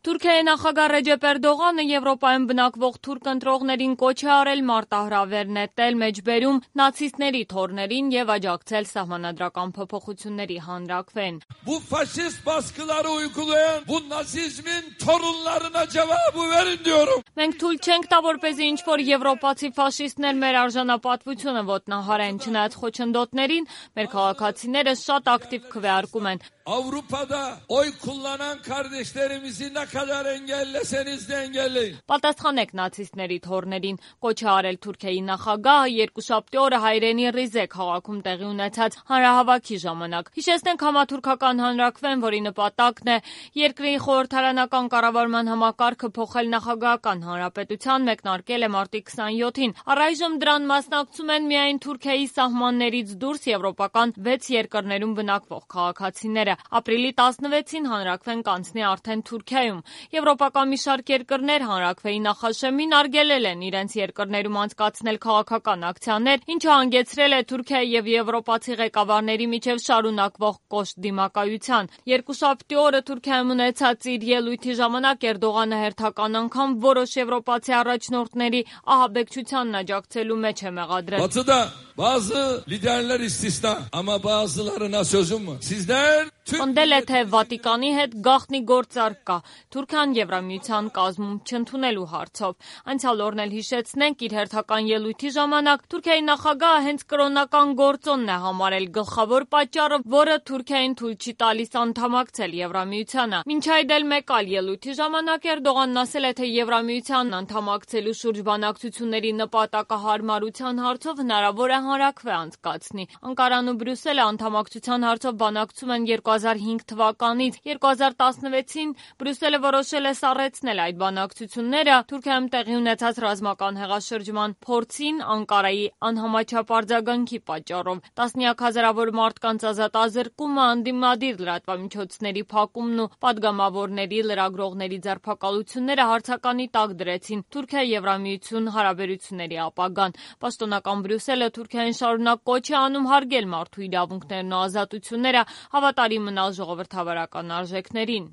Թուրքիայի նախագահ Ռեջեփ Էրդողանը Եվրոպայում բնակվող թուրք ընտրողներին կոչ է արել մարտահրավեր նետել մեջբերում նացիստների թոռներին եւ աջակցել սահմանադրական փոփոխությունների հանրաքվեն։ Bu faşist baskıları uygulayan bu nazizmin torunlarına cevabı verin diyorum. Մենք թույլ չենք տա, որպեսզի ինչ-որ եվրոպացի ֆաշիստներ մեր արժանապատվությունը ոտնահարեն, չնայած խոչընդոտներին, մեր քաղաքացիները շատ ակտիվ քվեարկում են։ Avrupa'da oy kullanan kardeşlerimizi ne kadar engelleseniz de engelleyin. Պատասխանեք նացիստների թոռներին, կոչ է արել Թուրքիայի նախագահը երկուշաբթի օրը հայրենի Ռիզե քաղաքում տեղի ունեցած հանրահավաքի ժամանակ։ Հիշեցնենք համաթուրքական հանրաքվեն, որի նպատակն է երկրի խորհրդարանական կառավարման համակարգը փոխել նախագահական հանրապետության, մեկնարկել է մարտի 27-ին։ Առայժմ դրան մասնակցում են միայն Թուրքիայի սահմաններից դուրս եվրոպական 6 երկրներում բնակվող քաղաքացիները։ Ապրիլի 16-ին հանրաքվեն կանցնի արդեն Թուրքիայում։ Եվրոպական մի շարք երկրներ հանրաքվեի նախաշեմին արգելել են իրենց երկրներում անցկացնել քաղաքական ակցիաներ, ինչը հանգեցրել է Թուրքիայի եւ եվրոպացի ղեկավարների միջև շարունակվող կոշտ դիմակայության։ Երկուշաբթի օրը Թուրքիայում ունեցած իր ելույթի ժամանակ Էրդողանը հերթական անգամ որոշ եվրոպացի առաջնորդների ահաբեկչությանն աջակցելու մեջ է մեղադրել։ Batı'da bazı liderler istisna ama bazılarına sözüm var. Sizler Պնդել է, թե Վատիկանի հետ գաղտնի գործարք կա Թուրքիան Եվրամիության կազմում չընդունելու հարցով։ Անցյալ օրն էլ հիշեցնենք, իր հերթական ելույթի ժամանակ Թուրքիայի նախագահը հենց կրոնական գործոնն է համարել գլխավոր պատճառը, որը Թուրքիային թույլ չի տալիս անդամակցել Եվրամիությանը։ Մինչ այդ էլ մեկ այլ ելույթի ժամանակ Էրդողանն ասել է, թե Եվրամիությանն անդամակցելու շուրջ բանակցությունների նպատակահարմարության հարցով հնարավոր է հանրաքվե անցկացնի։ Անկարան ու Բրյուսելը անդամակցության հարցով բանակցում են 2005 թվականից 2016-ին Բրյուսելը որոշել է սառեցնել այդ բանակցությունները Թուրքիայում տեղի ունեցած ռազմական հեղաշրջման փորձին Անկարայի անհամաչափ արձագանքի պատճառով։ Տասնյակ հազարավոր մարդկանց ազատազրկումը, անդիմադիր լրատվամիջոցների փակումն ու պատգամավորների, լրագրողների ձերբակալությունները հարցականի տակ դրեցին Թուրքիա-Եվրամիություն հարաբերությունների ապագան։ Պաշտոնական Բրյուսելը Թուրքիային շարունակ կոչ է անում հարգել մարդու իրավունքներն ու ազատությունները, հավատարիմ մնալ ժողովրդավարական արժեքներին։